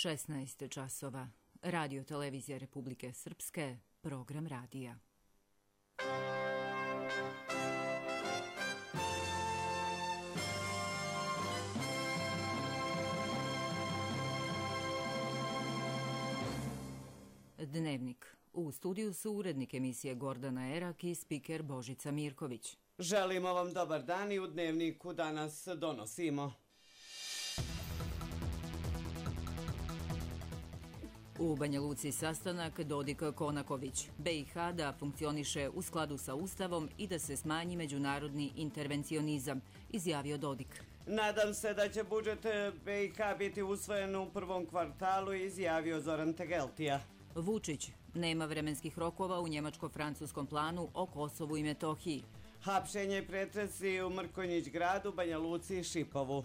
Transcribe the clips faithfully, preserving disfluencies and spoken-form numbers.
šesnaest časova. Radio televizija Republike Srpske, program radija. Dnevnik. U studiju su urednik emisije Gordana Erak i spiker Božica Mirković. Želimo vam dobar dan i u Dnevniku danas donosimo. U Banja Luci sastanak Dodik-Konaković. B i H da funkcioniše u skladu sa Ustavom i da se smanji međunarodni intervencionizam, izjavio Dodik. Nadam se da će budžet B i H biti usvojen u prvom kvartalu, izjavio Zoran Tegeltija. Vučić. Nema vremenskih rokova u njemačko-francuskom planu o Kosovu i Metohiji. Hapšenje i pretresi u Mrkonjić gradu, Banja Luci i Šipovu.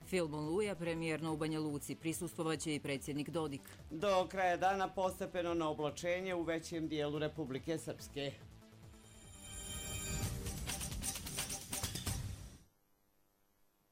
Film Oluja premijerno u Banja Luci, prisustvovaće i predsjednik Dodik. Do kraja dana postepeno na oblačenje u većem dijelu Republike Srpske.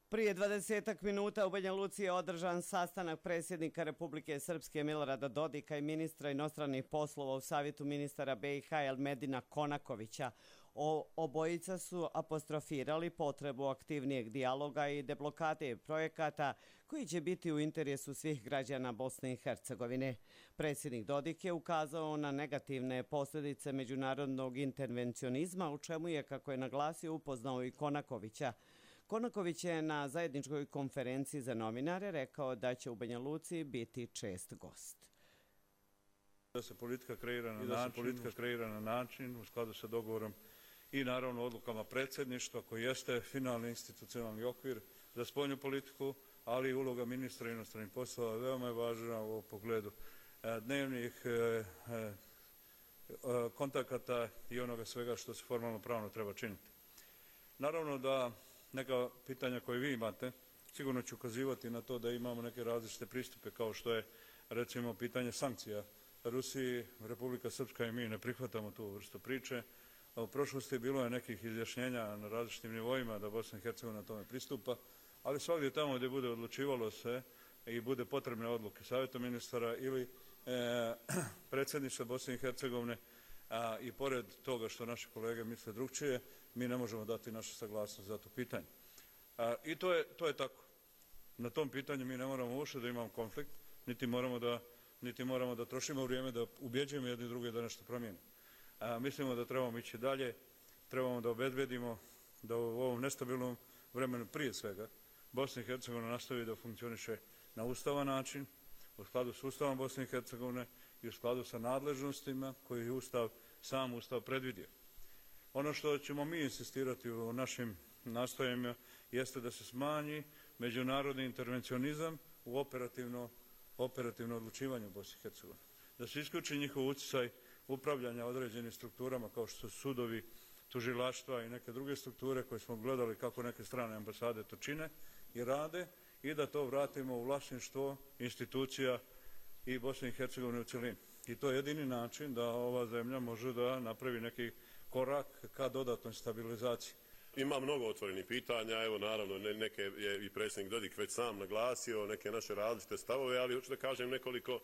Prije dvadesetak minuta u Banja Luci je održan sastanak predsjednika Republike Srpske Milorada Dodika i ministra inostranih poslova u Savjetu ministara B i H Elmedina Konakovića. O, obojica su apostrofirali potrebu aktivnijeg dijaloga i deblokade projekata koji će biti u interesu svih građana Bosne i Hercegovine. Predsjednik Dodik je ukazao na negativne posljedice međunarodnog intervencionizma, u čemu je, kako je naglasio, upoznao i Konakovića. Konaković je na zajedničkoj konferenciji za novinare rekao da će u Banja Luci biti čest gost. Da se politika kreira na način, politika kreira na način u skladu sa dogovorom i naravno odlukama predsjedništva koji jeste finalni institucionalni okvir za spoljnu politiku, ali i uloga ministra inostranih poslova veoma je važna u pogledu dnevnih kontakata i onoga svega što se formalno pravno treba činiti. Naravno da neka pitanja koje vi imate, sigurno ću ukazivati na to da imamo neke različite pristupe, kao što je recimo pitanje sankcija Rusiji. Republika Srpska i mi ne prihvatamo tu vrstu priče. U prošlosti bilo je nekih izjašnjenja na različitim nivoima da Bosna i Hercegovina tome pristupa, ali svakdje tamo gdje bude odlučivalo se i bude potrebne odluke Savjeta ministara ili e, predsjedništva Bosne i Hercegovine, a i pored toga što naši kolege misle drugčije, mi ne možemo dati našu saglasnost za to pitanje. A, I to je, to je tako. Na tom pitanju mi ne moramo uopšte da imamo konflikt, niti moramo da, niti moramo da trošimo vrijeme da ubjeđujemo jedni druge da nešto promijenimo. A, mislimo da trebamo ići dalje, trebamo da obezbedimo da u ovom nestabilnom vremenu prije svega Bosna i Hercegovina nastavi da funkcioniše na ustavan način, u skladu s Ustavom Bosne i Hercegovine i u skladu sa nadležnostima koji je Ustav, sam Ustav predvidio. Ono što ćemo mi insistirati u našim nastojanjima jeste da se smanji međunarodni intervencionizam u operativno, operativno odlučivanje u Bosni i Hercegovini. Da se isključi njihov utjecaj upravljanja određenim strukturama kao što su sudovi, tužilaštva i neke druge strukture koje smo gledali kako neke strane ambasade to čine i rade, i da to vratimo u vlasništvo institucija i Bosne i Hercegovine u cjelini. I to je jedini način da ova zemlja može da napravi neki korak ka dodatnoj stabilizaciji. Ima mnogo otvorenih pitanja, evo naravno neke je i predsjednik Dodik već sam naglasio, neke naše različite stavove, ali hoću da kažem nekoliko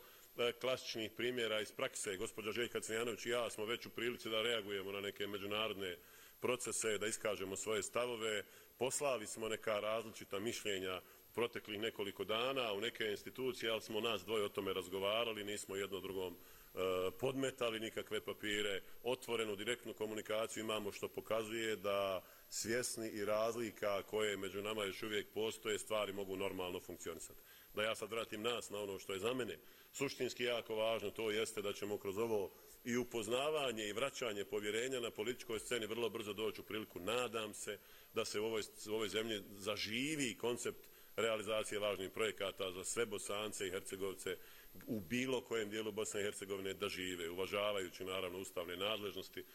klasičnih primjera iz prakse. Gospođa Željka Cvijanović i ja smo već u prilici da reagujemo na neke međunarodne procese, da iskažemo svoje stavove. Poslali smo neka različita mišljenja proteklih nekoliko dana u neke institucije, ali smo nas dvoje o tome razgovarali, nismo jedno drugom e, podmetali nikakve papire, otvorenu direktnu komunikaciju imamo, što pokazuje da svjesni i razlika koje među nama još uvijek postoje, stvari mogu normalno funkcionisati. Da ja sad vratim nas na ono što je za mene suštinski jako važno, to jeste da ćemo kroz ovo i upoznavanje i vraćanje povjerenja na političkoj sceni vrlo brzo doći u priliku, nadam se, da se u ovoj, u ovoj zemlji zaživi koncept realizacije važnih projekata za sve Bosance i Hercegovce u bilo kojem dijelu Bosne i Hercegovine da žive, uvažavajući naravno ustavne nadležnosti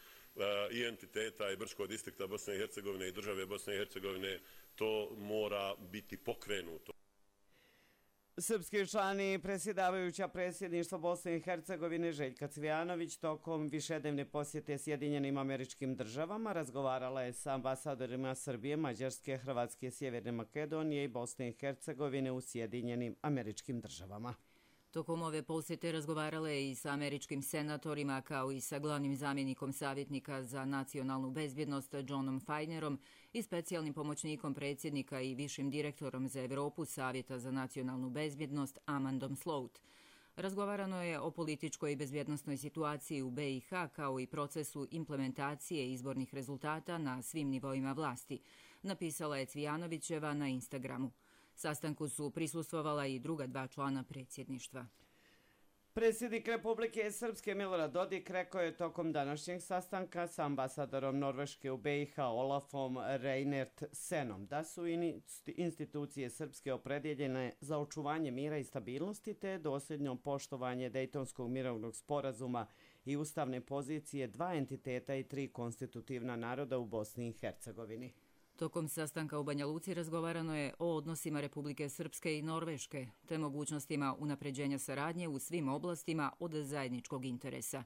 i entiteta i Brčkog distrikta Bosne i Hercegovine i države Bosne i Hercegovine. To mora biti pokrenuto. Srpski član i predsjedavajuća predsjedništva Bosne i Hercegovine Željka Cvijanović tokom višednevne posjete Sjedinjenim Američkim Državama razgovarala je sa ambasadorima Srbije, Mađarske, Hrvatske, Sjeverne Makedonije i Bosne i Hercegovine u Sjedinjenim Američkim Državama. Tokom ove posjete razgovarala je i sa američkim senatorima kao i sa glavnim zamjenikom savjetnika za nacionalnu bezbjednost Johnom Fajnerom i specijalnim pomoćnikom predsjednika i višim direktorom za Europu Savjeta za nacionalnu bezbjednost Amandom Slout. Razgovarano je o političkoj i bezbjednosnoj situaciji u be i ha kao i procesu implementacije izbornih rezultata na svim nivoima vlasti, napisala je Cvijanovićeva na Instagramu. Sastanku su prisustvovala i druga dva člana predsjedništva. Predsjednik Republike Srpske Milorad Dodik rekao je tokom današnjeg sastanka sa ambasadorom Norveške u be i ha Olafom Reinertsenom da su institucije Srpske opredjeljene za očuvanje mira i stabilnosti te dosljedno poštovanje Dejtonskog mirovnog sporazuma i ustavne pozicije dva entiteta i tri konstitutivna naroda u Bosni i Hercegovini. Tokom sastanka u Banja Luci razgovarano je o odnosima Republike Srpske i Norveške, te mogućnostima unapređenja saradnje u svim oblastima od zajedničkog interesa,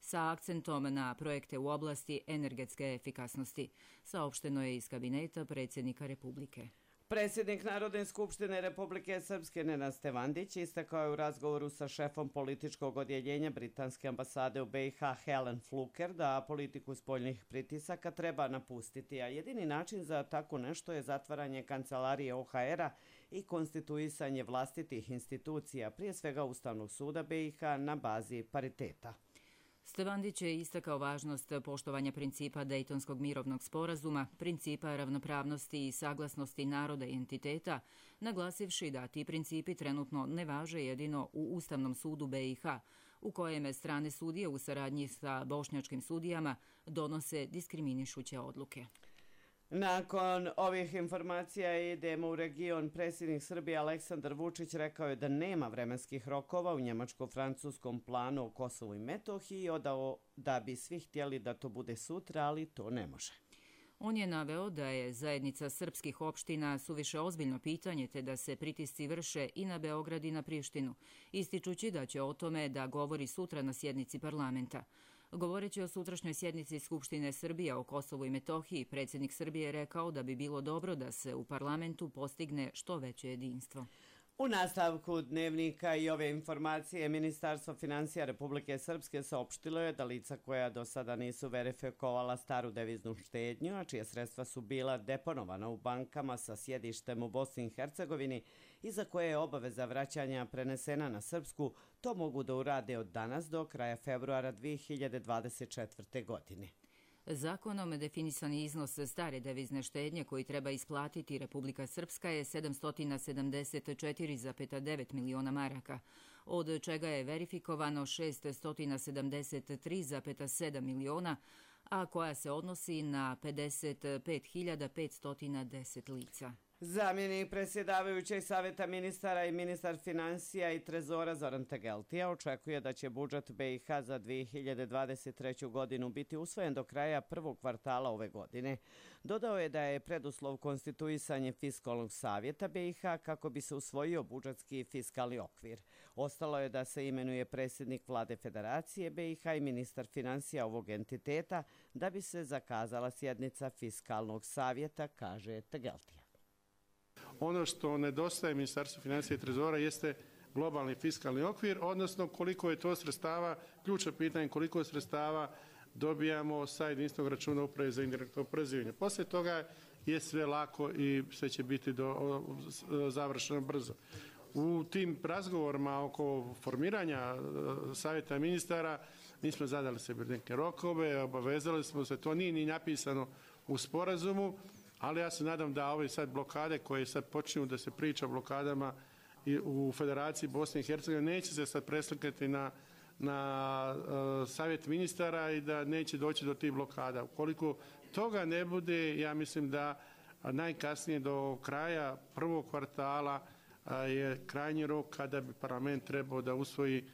sa akcentom na projekte u oblasti energetske efikasnosti, saopšteno je iz kabineta predsjednika Republike. Predsjednik Narodne skupštine Republike Srpske Nenad Stevandić istakao je u razgovoru sa šefom političkog odjeljenja Britanske ambasade u be i ha Helen Fluker da politiku spoljnih pritisaka treba napustiti, a jedini način za tako nešto je zatvaranje kancelarije o ha era i konstituisanje vlastitih institucija, prije svega Ustavnog suda be i ha na bazi pariteta. Stevandić je istakao važnost poštovanja principa Dejtonskog mirovnog sporazuma, principa ravnopravnosti i saglasnosti naroda i entiteta, naglasivši da ti principi trenutno ne važe jedino u Ustavnom sudu be i ha, u kojem strane sudije u saradnji sa bošnjačkim sudijama donose diskriminišuće odluke. Nakon ovih informacija idemo u region. Predsjednik Srbije Aleksandar Vučić rekao je da nema vremenskih rokova u njemačko-francuskom planu o Kosovu i Metohiji i odao da bi svi htjeli da to bude sutra, ali to ne može. On je naveo da je zajednica srpskih opština suviše ozbiljno pitanje te da se pritisci vrše i na Beograd i na Prištinu, ističući da će o tome da govori sutra na sjednici parlamenta. Govoreći o sutrašnjoj sjednici Skupštine Srbije o Kosovu i Metohiji, predsjednik Srbije je rekao da bi bilo dobro da se u parlamentu postigne što veće jedinstvo. U nastavku dnevnika i ove informacije Ministarstvo finansija Republike Srpske saopštilo je da lica koja do sada nisu verifikovala staru deviznu štednju, a čija sredstva su bila deponovana u bankama sa sjedištem u Bosni i Hercegovini i za koje je obaveza vraćanja prenesena na Srpsku, to mogu da urade od danas do kraja februara dvije hiljade dvadeset četvrte. godine. Zakonom definisani iznos stare devizne štednje koji treba isplatiti Republika Srpska je sedamsto sedamdeset četiri zarez devet miliona maraka, od čega je verifikovano šeststo sedamdeset tri zarez sedam miliona, a koja se odnosi na pedeset pet hiljada petsto deset lica. Zamjenik predsjedavajućeg savjeta ministara i ministar financija i trezora Zoran Tegeltija očekuje da će budžet be i ha za dvije hiljade dvadeset treću. godinu biti usvojen do kraja prvog kvartala ove godine. Dodao je da je preduslov konstituisanje fiskalnog savjeta be i ha kako bi se usvojio budžetski fiskalni okvir. Ostalo je da se imenuje predsjednik vlade Federacije be i ha i ministar financija ovog entiteta da bi se zakazala sjednica fiskalnog savjeta, kaže Tegeltija. Ono što nedostaje Ministarstvu financija i trezora jeste globalni fiskalni okvir, odnosno koliko je to sredstava, ključno pitanje koliko sredstava dobijamo sa jedinstvenog računa uprave za indirektno oporezivanje. Poslije toga je sve lako i sve će biti do, završeno brzo. U tim razgovorima oko formiranja savjeta ministara mi smo zadali sebi neke rokove, obavezali smo se, to nije ni napisano u sporazumu, ali ja se nadam da ove sad blokade koje sad počinju da se priča o blokadama u Federaciji Bosne i Hercegovine neće se sad preslikati na, na uh, savjet ministara i da neće doći do tih blokada. Ukoliko toga ne bude, ja mislim da najkasnije do kraja prvog kvartala uh, je krajnji rok kada bi parlament trebao da usvoji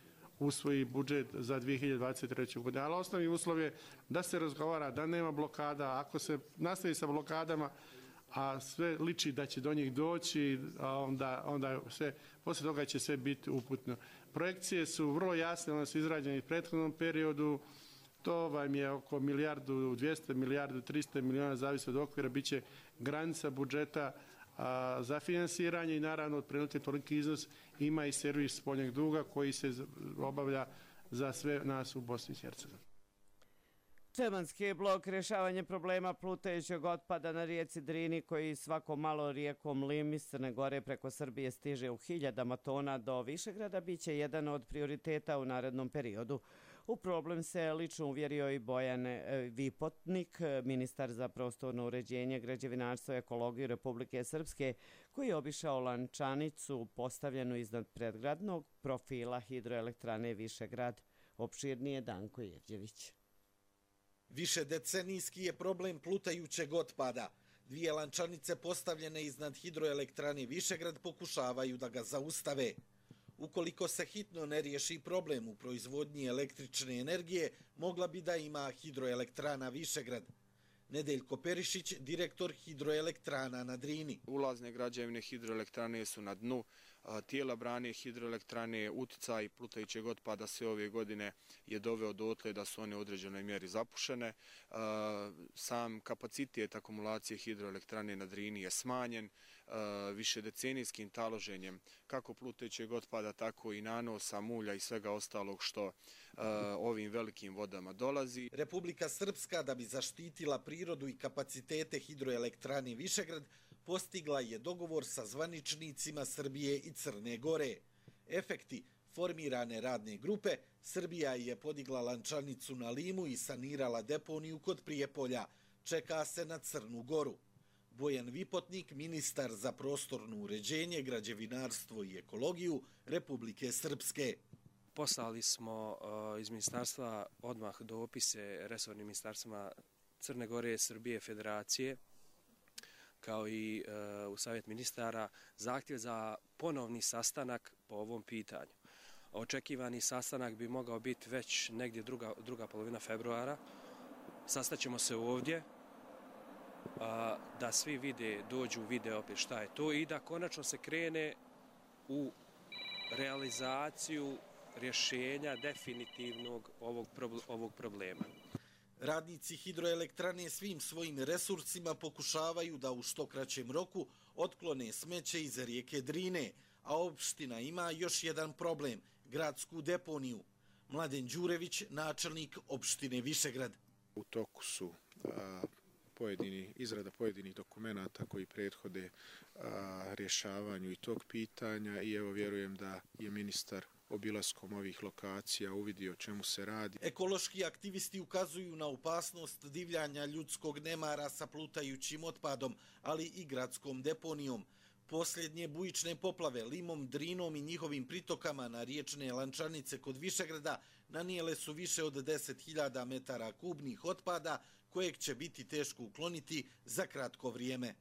usvoji budžet za dvije hiljade dvadeset treću. godinu. Ali osnovni uslov je da se razgovara, da nema blokada. Ako se nastavi sa blokadama, a sve liči da će do njih doći, onda, onda sve, poslije toga će sve biti uputno. Projekcije su vrlo jasne, one su izrađene u prethodnom periodu. To vam je oko milijardu dvjesto, milijardu tristo miliona, zavisi od okvira, bit će granica budžeta za finansiranje i naravno otprilike toliki iznos ima i servis spoljnog duga koji se obavlja za sve nas u Bosni i Hercegovini. Čemanski blok rješavanje problema plutajućeg otpada na rijeci Drini koji svako malo rijekom Lim iz Crne Gore preko Srbije stiže u hiljadama tona do Višegrada biće jedan od prioriteta u narednom periodu. U problem se lično uvjerio i Bojan Vipotnik, ministar za prostorno uređenje, građevinarstvo i ekologiju Republike Srpske, koji je obišao lančanicu postavljenu iznad predgradnog profila hidroelektrane Višegrad. Opširnije Danko Jevđević. Višedecenijski je problem plutajućeg otpada. Dvije lančanice postavljene iznad hidroelektrane Višegrad pokušavaju da ga zaustave. Ukoliko se hitno ne riješi problem u proizvodnji električne energije, mogla bi da ima hidroelektrana Višegrad. Nedeljko Perišić, direktor hidroelektrana na Drini. Ulazne građevine hidroelektrane su na dnu. Tijela brane hidroelektrane, uticaj plutajućeg otpada sve ove godine je doveo dotle da su one u određenoj mjeri zapušene. Sam kapacitet akumulacije hidroelektrane na Drini je smanjen višedecenijskim taloženjem kako plutajućeg otpada, tako i nanosa, mulja i svega ostalog što ovim velikim vodama dolazi. Republika Srpska, da bi zaštitila prirodu i kapacitete hidroelektrane Višegrad, postigla je dogovor sa zvaničnicima Srbije i Crne Gore. Efekti formirane radne grupe, Srbija je podigla lančanicu na Limu i sanirala deponiju kod Prijepolja. Čeka se na Crnu Goru. Bojan Vipotnik, ministar za prostorno uređenje, građevinarstvo i ekologiju Republike Srpske. Poslali smo iz ministarstva odmah dopise resornim ministarstvima Crne Gore, Srbije, Federacije, kao i u Savjet ministara, zahtjev za ponovni sastanak po ovom pitanju. Očekivani sastanak bi mogao biti već negdje druga, druga polovina februara. Sastaćemo se ovdje, da svi vide, dođu, vide opet šta je to i da konačno se krene u realizaciju rješenja definitivnog ovog, ovog problema. Radnici hidroelektrane svim svojim resursima pokušavaju da u što kraćem roku otklone smeće iz rijeke Drine, a opština ima još jedan problem, gradsku deponiju. Mladen Đurević, načelnik opštine Višegrad. U toku su a, pojedini, izrada pojedinih dokumenata koji prethode a, rješavanju i tog pitanja i evo vjerujem da je ministar obilaskom ovih lokacija uvidio o čemu se radi. Ekološki aktivisti ukazuju na opasnost divljanja ljudskog nemara sa plutajućim otpadom, ali i gradskom deponijom. Posljednje bujične poplave Limom, Drinom i njihovim pritokama na riječne lančanice kod Višegrada nanijele su više od deset hiljada metara kubnih otpada, kojeg će biti teško ukloniti za kratko vrijeme.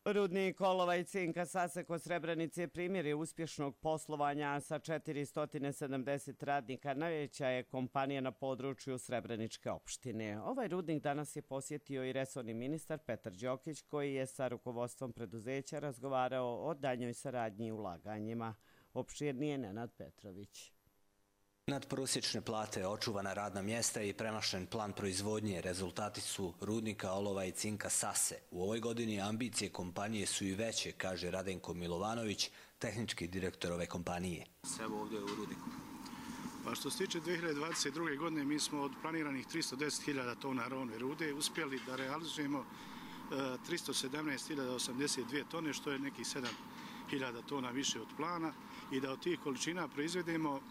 Rudnik olova i cinka Sase kod Srebrenice primjer je uspješnog poslovanja sa četiristo sedamdeset radnika. Najveća je kompanija na području Srebreničke opštine. Ovaj rudnik danas je posjetio i resorni ministar Petar Đokić, koji je sa rukovodstvom preduzeća razgovarao o daljnjoj saradnji i ulaganjima. Opširnije Nenad Petrović. Nadprosječne plate, očuvana radna mjesta i premašen plan proizvodnje rezultati su rudnika olova i cinka Sase. U ovoj godini ambicije kompanije su i veće, kaže Radenko Milovanović, tehnički direktor ove kompanije. Evo ovdje u rudniku. Pa što se tiče dvije hiljade dvadeset druge. godine mi smo od planiranih tristo deset hiljada tona rovne rude uspjeli da realizujemo tristo sedamnaest hiljada osamdeset dvije tone, što je nekih sedam hiljada tona više od plana i da od tih količina proizvedemo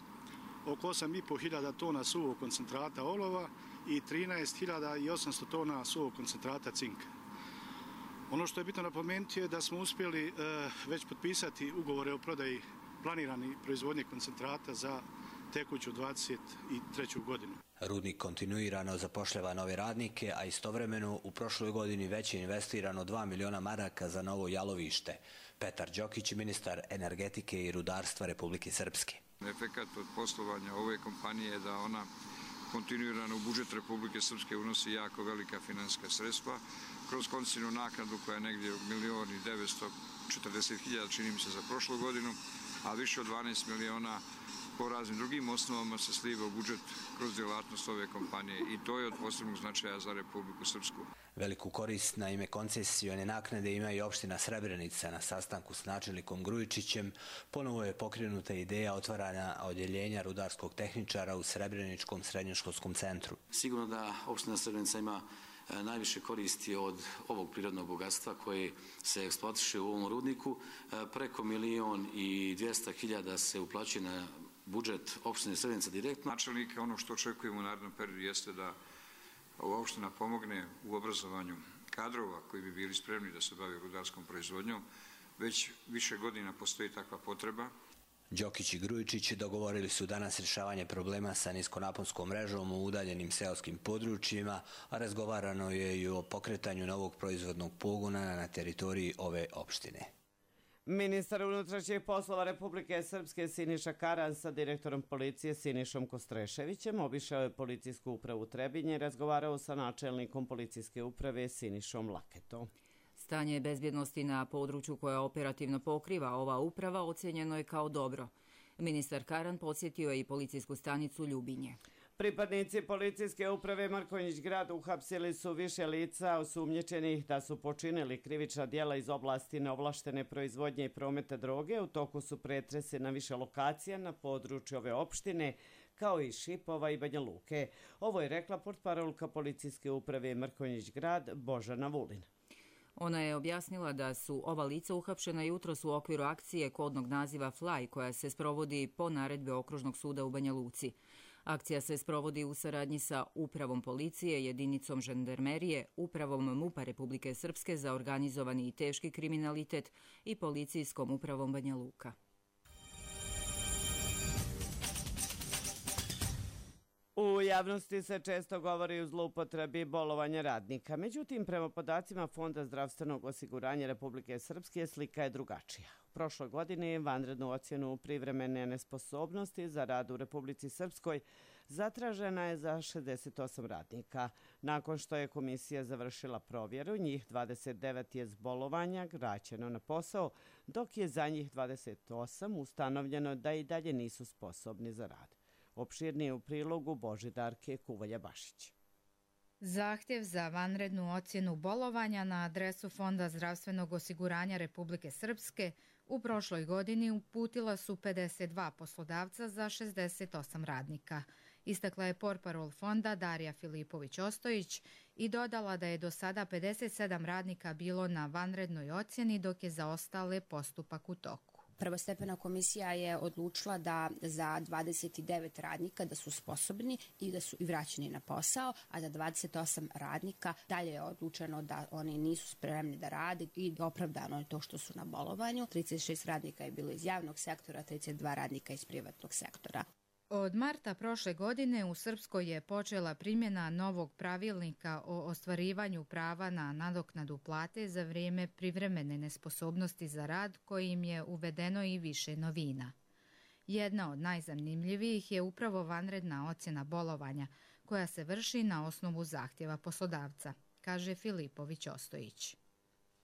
oko osam i pol hiljada tona suvog koncentrata olova i trinaest hiljada osamsto tona suvog koncentrata cinka. Ono što je bitno napomenuti je da smo uspjeli već potpisati ugovore o prodaji planirani proizvodnje koncentrata za tekuću dvadeset treću godinu. Rudnik kontinuirano zapošljava nove radnike, a istovremeno u prošloj godini već je investirano dva miliona maraka za novo jalovište. Petar Đokić, ministar energetike i rudarstva Republike Srpske. Efekat od poslovanja ove kompanije je da ona kontinuirano u budžet Republike Srpske unosi jako velika finansijska sredstva kroz koncesijnu naknadu koja je negdje milion i devetsto četrdeset hiljada, čini mi se, za prošlu godinu, a više od dvanaest miliona po raznim drugim osnovama se sliva u budžet kroz djelatnost ove kompanije i to je od posebnog značaja za Republiku Srpsku. Veliku korist na ime koncesione naknade ima i opština Srebrenica. Na sastanku s načelnikom Grujičićem ponovo je pokrenuta ideja otvaranja odjeljenja rudarskog tehničara u Srebreničkom srednjoškolskom centru. Sigurno da opština Srebrenica ima najviše koristi od ovog prirodnog bogatstva koje se eksploatiše u ovom rudniku. Preko milion i dvjesto hiljada se uplaćuje na budžet opštine Srebrenica direktno. Načelnik, ono što očekujemo u narednom periodu jeste da ova opština pomogne u obrazovanju kadrova koji bi bili spremni da se bave rudarskom proizvodnjom. Već više godina postoji takva potreba. Đokić i Grujičić dogovorili su danas rješavanje problema sa niskonaponskom mrežom u udaljenim seoskim područjima, a razgovarano je i o pokretanju novog proizvodnog pogona na teritoriji ove opštine. Ministar unutrašnjih poslova Republike Srpske Siniša Karan sa direktorom policije Sinišom Kostreševićem obišao je policijsku upravu Trebinje i razgovarao sa načelnikom policijske uprave Sinišom Laketom. Stanje bezbjednosti na području koje operativno pokriva ova uprava ocjenjeno je kao dobro. Ministar Karan podsjetio je i policijsku stanicu Ljubinje. Pripadnici policijske uprave Mrkonjić grad uhapsili su više lica osumnjičenih da su počinili krivična djela iz oblasti neovlaštene proizvodnje i prometa droge. U toku su pretresi na više lokacija na području ove opštine, kao i Šipova i Banja Luke. Ovo je rekla portparolka policijske uprave Mrkonjić grad Božana Vulin. Ona je objasnila da su ova lica uhapšena jutros u okviru akcije kodnog naziva Fly, koja se sprovodi po naredbi Okružnog suda u Banja Luci. Akcija se sprovodi u saradnji sa Upravom policije, jedinicom žandarmerije, Upravom MUP-a Republike Srpske za organizovani i teški kriminalitet i Policijskom upravom Banja Luka. U javnosti se često govori o zloupotrebi bolovanja radnika. Međutim, prema podacima Fonda zdravstvenog osiguranja Republike Srpske slika je drugačija. U prošloj godini vanrednu ocjenu privremene nesposobnosti za rad u Republici Srpskoj zatražena je za šezdeset osam radnika. Nakon što je komisija završila provjeru, njih dvadeset devet je s bolovanja vraćeno na posao, dok je za njih dvadeset osam ustanovljeno da i dalje nisu sposobni za rad. Opširnije u prilogu Božidarke Kuvalja-Bašić. Zahtjev za vanrednu ocjenu bolovanja na adresu Fonda zdravstvenog osiguranja Republike Srpske u prošloj godini uputila su pedeset dva poslodavca za šezdeset osam radnika. Istakla je portparol fonda Darija Filipović-Ostojić i dodala da je do sada pedeset sedam radnika bilo na vanrednoj ocjeni, dok je za ostale postupak u toku. Prvostepena komisija je odlučila da za dvadeset devet radnika da su sposobni i da su i vraćeni na posao, a za dvadeset osam radnika dalje je odlučeno da oni nisu spremni da rade i opravdano je to što su na bolovanju. trideset šest radnika je bilo iz javnog sektora, trideset dva radnika iz privatnog sektora. Od marta prošle godine u Srpskoj je počela primjena novog pravilnika o ostvarivanju prava na nadoknadu plate za vrijeme privremene nesposobnosti za rad, kojim je uvedeno i više novina. Jedna od najzanimljivijih je upravo vanredna ocjena bolovanja, koja se vrši na osnovu zahtjeva poslodavca, kaže Filipović-Ostojić.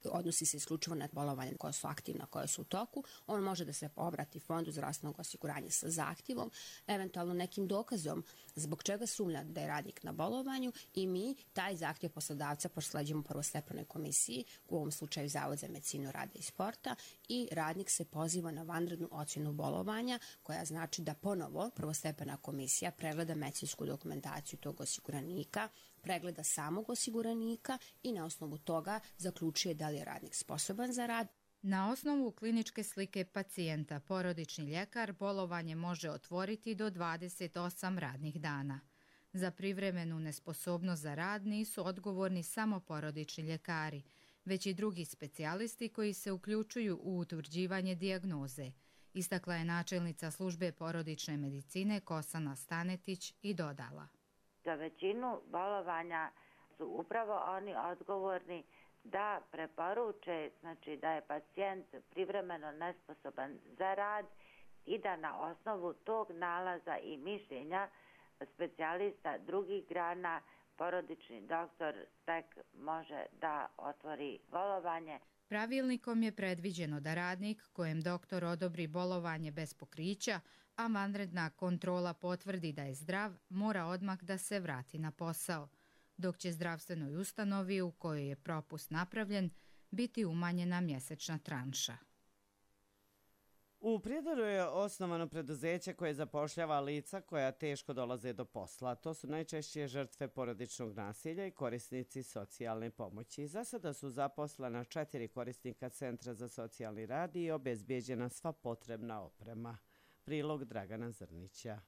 Odnosi se isključivo na bolovanje koja su aktivna, koja su u toku. On može da se obrati Fondu zdravstvenog osiguranja sa zahtjevom, eventualno nekim dokazom zbog čega sumnja da je radnik na bolovanju i mi taj zahtjev poslodavca prosleđujemo prvostepenoj komisiji, u ovom slučaju Zavod za medicinu rada i sporta, i radnik se poziva na vanrednu ocjenu bolovanja, koja znači da ponovo prvostepena komisija pregleda medicinsku dokumentaciju tog osiguranika, pregleda samog osiguranika i na osnovu toga zaključuje da li je radnik sposoban za rad. Na osnovu kliničke slike pacijenta, porodični ljekar bolovanje može otvoriti do dvadeset osam radnih dana. Za privremenu nesposobnost za rad nisu odgovorni samo porodični ljekari, već i drugi specijalisti koji se uključuju u utvrđivanje dijagnoze, istakla je načelnica službe porodične medicine Kosana Stanetić i dodala. Za većinu bolovanja su upravo oni odgovorni da preporuče, znači da je pacijent privremeno nesposoban za rad i da na osnovu tog nalaza i mišljenja specijalista drugih grana porodični doktor tek može da otvori bolovanje. Pravilnikom je predviđeno da radnik kojem doktor odobri bolovanje bez pokrića a vanredna kontrola potvrdi da je zdrav, mora odmah da se vrati na posao, dok će zdravstvenoj ustanovi u kojoj je propust napravljen biti umanjena mjesečna tranša. U Prijedoru je osnovano preduzeće koje zapošljava lica koja teško dolaze do posla. To su najčešće žrtve porodičnog nasilja i korisnici socijalne pomoći. Za sada su zaposlena četiri korisnika Centra za socijalni rad i obezbijeđena sva potrebna oprema. Prilog Dragana Zrnića.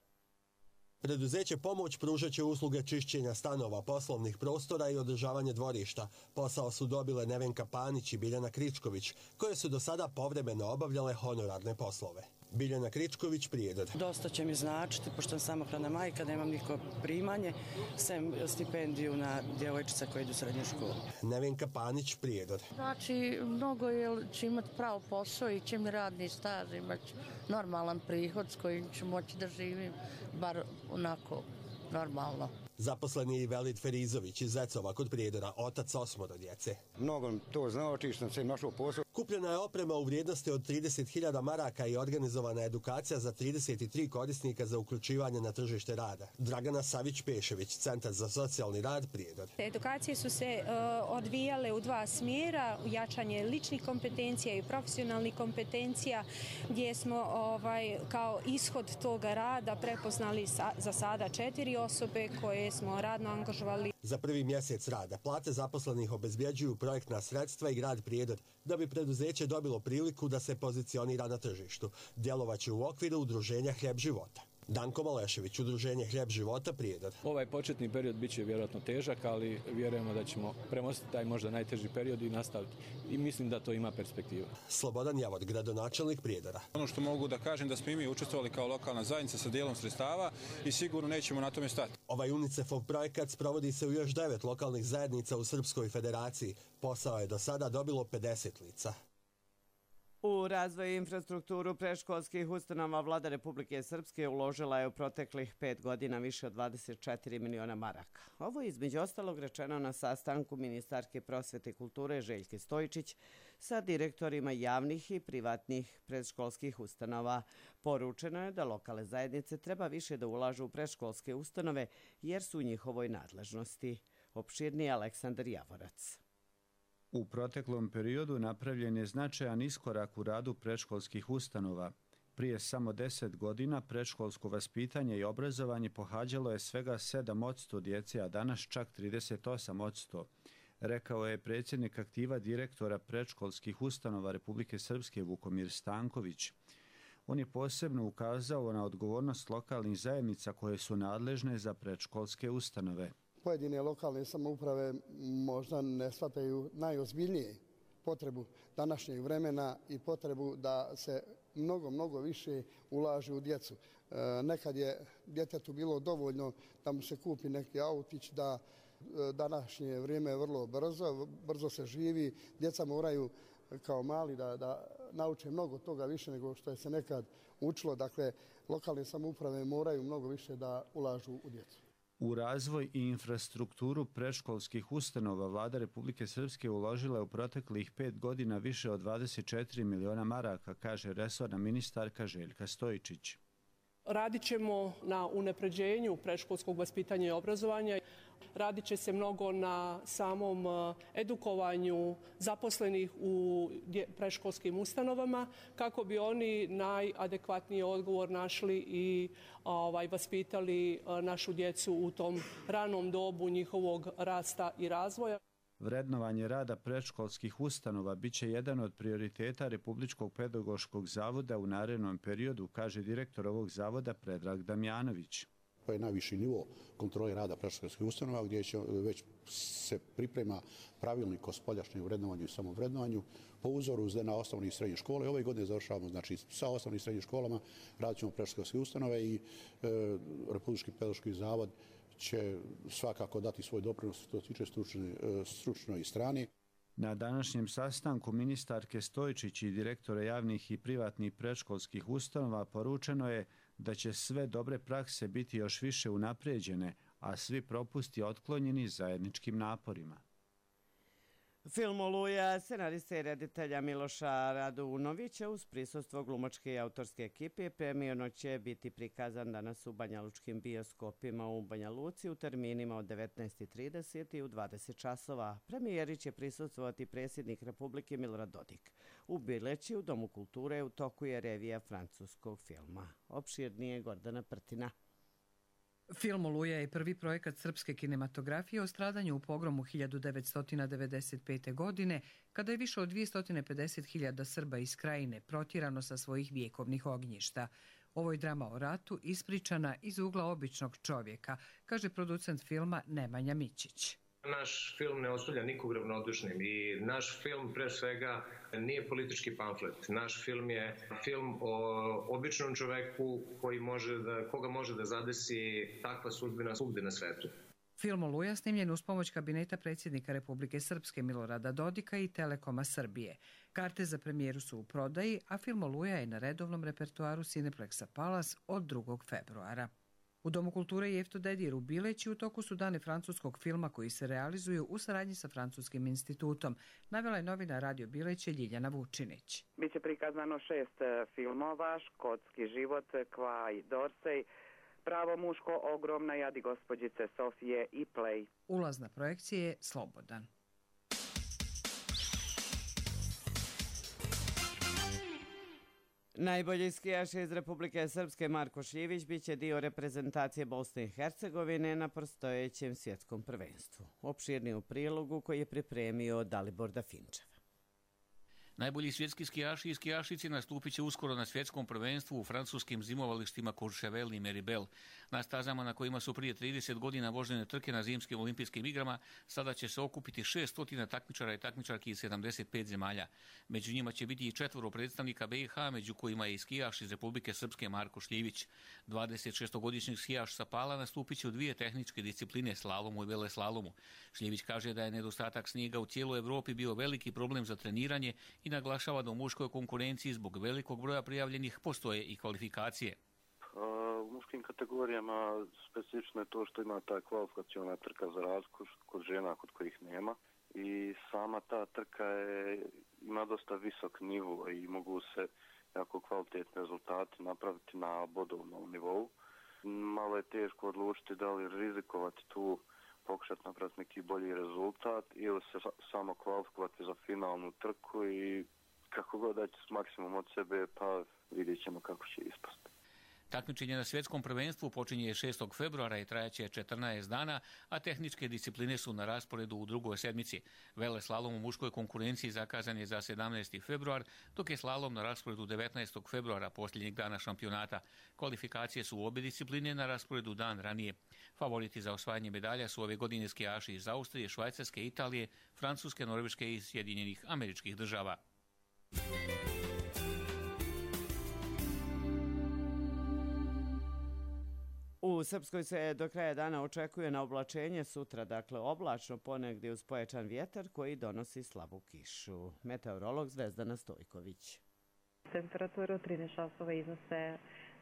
Preduzeće Pomoć pružat će usluge čišćenja stanova, poslovnih prostora i održavanje dvorišta. Posao su dobile Nevenka Panić i Biljana Kričković, koje su do sada povremeno obavljale honorarne poslove. Biljana Kričković, Prijedor. Dosta će mi značiti, pošto sam samohrana majka, nemam niko primanje, sem stipendiju na djevojčica koje idu u srednju školu. Nevenka Panić, Prijedor. Znači, mnogo je, će imati pravo posao i će mi radni staž, imati normalan prihod s kojim ću moći da živim, bar onako normalno. Zaposlen je i Velid Ferizović iz Zecova kod Prijedora, otac osmoro djece. Mnogo to znači što sam se našao posao. Kupljena je oprema u vrijednosti od trideset hiljada maraka i organizovana je edukacija za trideset tri korisnika za uključivanje na tržište rada. Dragana Savić-Pešević, Centar za socijalni rad, Prijedor. Edukacije su se uh, odvijale u dva smjera, jačanje ličnih kompetencija i profesionalnih kompetencija, gdje smo ovaj, kao ishod toga rada prepoznali sa, za sada četiri osobe koje smo radno angažovali. Za prvi mjesec rada plate zaposlenih obezbjeđuju projektna sredstva i grad Prijedor da bi preduzeće dobilo priliku da se pozicionira na tržištu. Djelovaće u okviru udruženja Hljeb života. Danko Malešević, udruženje Hljeb života, Prijedor. Ovaj početni period bit će vjerojatno težak, ali vjerujemo da ćemo premostiti taj možda najteži period i nastaviti. I mislim da to ima perspektiva. Slobodan Javor, gradonačelnik Prijedora. Ono što mogu da kažem da smo i mi učestvovali kao lokalna zajednica sa dijelom sredstava i sigurno nećemo na tome stati. Ovaj UNICEF-ov projekat sprovodi se u još devet lokalnih zajednica u Srpskoj federaciji. Posao je do sada dobilo pedeset lica. U razvoj i infrastrukturu predškolskih ustanova Vlada Republike Srpske uložila je u proteklih pet godina više od dvadeset četiri miliona maraka. Ovo je između ostalog rečeno na sastanku ministarke prosvete i kulture Željke Stojičić sa direktorima javnih i privatnih predškolskih ustanova. Poručeno je da lokalne zajednice treba više da ulažu u predškolske ustanove jer su u njihovoj nadležnosti. Opširniji Aleksandar Javorac. U proteklom periodu napravljen je značajan iskorak u radu predškolskih ustanova. Prije samo deset godina predškolsko vaspitanje i obrazovanje pohađalo je svega sedam posto djece, a danas čak trideset osam posto. Rekao je predsjednik aktiva direktora predškolskih ustanova Republike Srpske Vukomir Stanković. On je posebno ukazao na odgovornost lokalnih zajednica koje su nadležne za predškolske ustanove. Pojedine lokalne samouprave možda ne shvataju najozbiljnije potrebu današnjeg vremena i potrebu da se mnogo, mnogo više ulaže u djecu. E, nekad je djetetu bilo dovoljno da mu se kupi neki autić, da e, današnje vrijeme je vrlo brzo, brzo se živi, djeca moraju kao mali da, da nauče mnogo toga više nego što je se nekad učilo. Dakle, lokalne samouprave moraju mnogo više da ulažu u djecu. U razvoj i infrastrukturu predškolskih ustanova Vlada Republike Srpske uložila je u proteklih pet godina više od dvadeset četiri miliona maraka, kaže resorna ministarka Željka Stojičić. Radit ćemo na unapređenju predškolskog vaspitanja i obrazovanja. Radit će se mnogo na samom edukovanju zaposlenih u predškolskim ustanovama kako bi oni najadekvatniji odgovor našli i ovaj, vaspitali našu djecu u tom ranom dobu njihovog rasta i razvoja. Vrednovanje rada predškolskih ustanova biće jedan od prioriteta Republičkog pedagoškog zavoda u narednom periodu, kaže direktor ovog zavoda Predrag Damjanović. To je najviši nivo kontrole rada predškolskih ustanova gdje će već se priprema pravilnik o spoljašnjem vrednovanju i samovrednovanju po uzoru na osnovne i srednje škole. Ove godine završavamo znači, sa osnovnim i srednjim školama, radit ćemo predškolske ustanove i e, Republički pedagoški zavod će svakako dati svoj doprinos što se tiče stručne, stručnoj strani. Na današnjem sastanku ministarke Stojičić i direktora javnih i privatnih predškolskih ustanova poručeno je da će sve dobre prakse biti još više unapređene, a svi propusti otklonjeni zajedničkim naporima. Film Oluja scenariste i reditelja Miloša Radunovića uz prisustvo glumačke i autorske ekipe premijerno će biti prikazan danas u banjalučkim bioskopima u Banja Luci u terminima od devetnaest i trideset i u dvadeset časova. Premijeri će prisustvovati predsjednik Republike Milorad Dodik. U Bileći u Domu kulture u toku je revija francuskog filma. Opširnije Gordana Prtina. Film Oluja je prvi projekat srpske kinematografije o stradanju u pogromu hiljadu devetsto devedeset pete. godine, kada je više od dvjesto pedeset hiljada Srba iz krajine protjerano sa svojih vjekovnih ognjišta. Ovo je drama o ratu ispričana iz ugla običnog čovjeka, kaže producent filma Nemanja Mićić. Naš film ne ostavlja nikog ravnodušnim i naš film pre svega nije politički pamflet. Naš film je film o običnom čoveku koji može da, koga može da zadesi takva sudbina svugde na svetu. Film Oluja snimljen uz pomoć kabineta predsjednika Republike Srpske Milorada Dodika i Telekoma Srbije. Karte za premijeru su u prodaji, a film Oluja je na redovnom repertoaru Cineplexa Palace od drugog februara. U Domu kulture i Jefto Dedijer u Bileći u toku su dane francuskog filma koji se realizuju u saradnji sa Francuskim institutom, navela je novina Radio Bileće Ljiljana Vučinić. Biće prikazano šest filmova, Škotski život, Kva i Dorsej, Pravo muško, Ogromna jadi gospođice Sofije i Play. Ulaz na projekcije je slobodan. Najbolji skijaš iz Republike Srpske Marko Šljivić biće dio reprezentacije Bosne i Hercegovine na predstojećem svjetskom prvenstvu. Opširni u prilogu koji je pripremio Dalibor Dafinčev. Najbolji svjetski skijaši i skijašice nastupit će uskoro na svjetskom prvenstvu u francuskim zimovalištima Courchevel i Meribel. Na stazama na kojima su prije trideset godina vožene trke na zimskim olimpijskim igrama, sada će se okupiti šesto takmičara i takmičarki iz sedamdeset pet zemalja. Među njima će biti i četvoro predstavnika B i H, među kojima je i skijaš iz Republike Srpske Marko Šljivić. dvadesetšestogodišnji skijaš sa Pala nastupit će u dvije tehničke discipline, slalomu i veleslalomu. Šljivić kaže da je nedostatak snijega u cijeloj Evropi bio veliki problem za treniranje i naglašava da u muškoj konkurenciji zbog velikog broja prijavljenih postoje i kvalifikacije. U muškim kategorijama specifično je to što ima ta kvalifikaciona trka za razliku kod žena kod kojih nema i sama ta trka je, ima dosta visok nivo i mogu se jako kvalitetni rezultati napraviti na bodovnom nivou. Malo je teško odlučiti da li rizikovati tu, pokušati napraviti neki bolji rezultat ili se samo kvalifikovati za finalnu trku i kako god daći maksimum od sebe, pa vidjet ćemo kako će ispasti. Takmičenje na svjetskom prvenstvu počinje šestog februara i trajaće četrnaest dana, a tehničke discipline su na rasporedu u drugoj sedmici. Veleslalom u muškoj konkurenciji zakazan je za sedamnaesti februar, dok je slalom na rasporedu devetnaestog februara, posljednjeg dana šampionata. Kvalifikacije su u obje discipline na rasporedu dan ranije. Favoriti za osvajanje medalja su ove godine skijaši iz Austrije, Švajcarske, Italije, Francuske, Norveške i Sjedinjenih Američkih Država. U Srpskoj se do kraja dana očekuje na oblačenje sutra, dakle oblačno ponegdje uz pojačan vjetar koji donosi slabu kišu. Meteorolog Zvezdana Stojković. Temperatura u trinaest časova iznose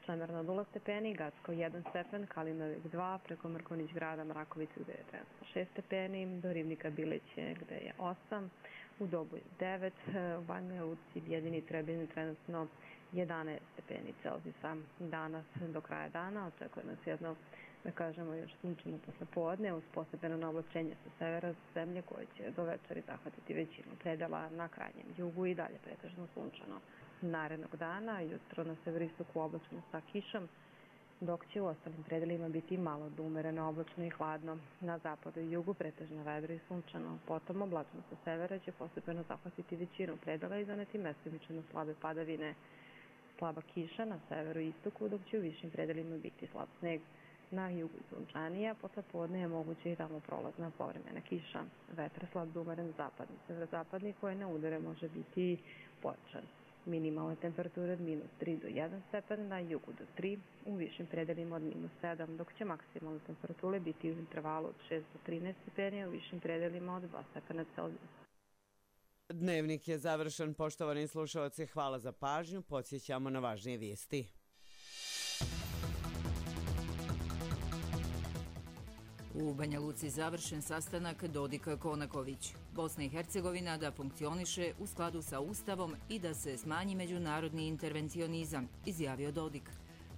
Čemerna od nula stepeni, Gacko jedan stepen, Kalinovik dva, preko Mrkonić grada Mrakovicu gdje je trenutno šest stepeni, do Ribnika Bileće gdje je osam, u Dobu devet, u Banja Luci, Bjedini, Trebini trenutno jedanaest stepeni Celzijusa. Danas do kraja dana očekuje nas jedno, da kažemo, još sunčano poslepodne uz postepeno oblačenje sa severa zemlje koje će do večeri zahvatiti većinu predela na krajnjem jugu i dalje pretežno sunčano. Narednog dana jutro na severistoku oblačno sa kišom, dok će u ostalim predelima biti malo do umereno oblačno i hladno. Na zapadu i jugu pretežno vedro i sunčano. Potom oblačno sa severa će postepeno zahvatiti većinu predela i zaneti mestimično slabe padavine. Slaba kiša na severu i istoku, dok će u višim predelima biti slab sneg. Na jugu i sunčanija, posle podne je moguće i tamo prolazna povremena kiša. Vetar slab do umeren zapadni, severozapadni koje na udare može biti pojačan. Minimalne temperature od minus tri do jedan stepen, na jugu do tri, u višim predelima od minus sedam, dok će maksimalne temperature biti u intervalu od šest do trinaest stepeni, u višim predelima od dva stepena Celzijusa. Dnevnik je završen, poštovani slušalci, hvala za pažnju, podsjećamo na važnije vijesti. U Banja Luci završen sastanak Dodik-Konaković. Bosna i Hercegovina da funkcioniše u skladu sa Ustavom i da se smanji međunarodni intervencionizam, izjavio Dodik.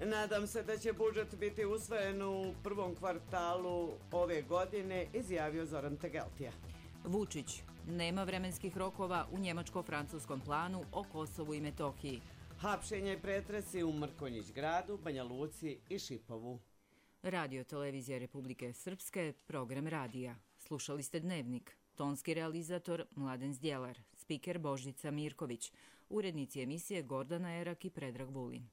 Nadam se da će budžet biti usvojen u prvom kvartalu ove godine, izjavio Zoran Tegeltija. Vučić, nema vremenskih rokova u njemačko-francuskom planu o Kosovu i Metohiji. Hapšenje i pretresi u Mrkonjić gradu, Banja Luci i Šipovu. Radio Televizija Republike Srpske, program radija. Slušali ste Dnevnik. Tonski realizator Mladen Zdjelar, spiker Božica Mirković, urednici emisije Gordana Erak i Predrag Vulin.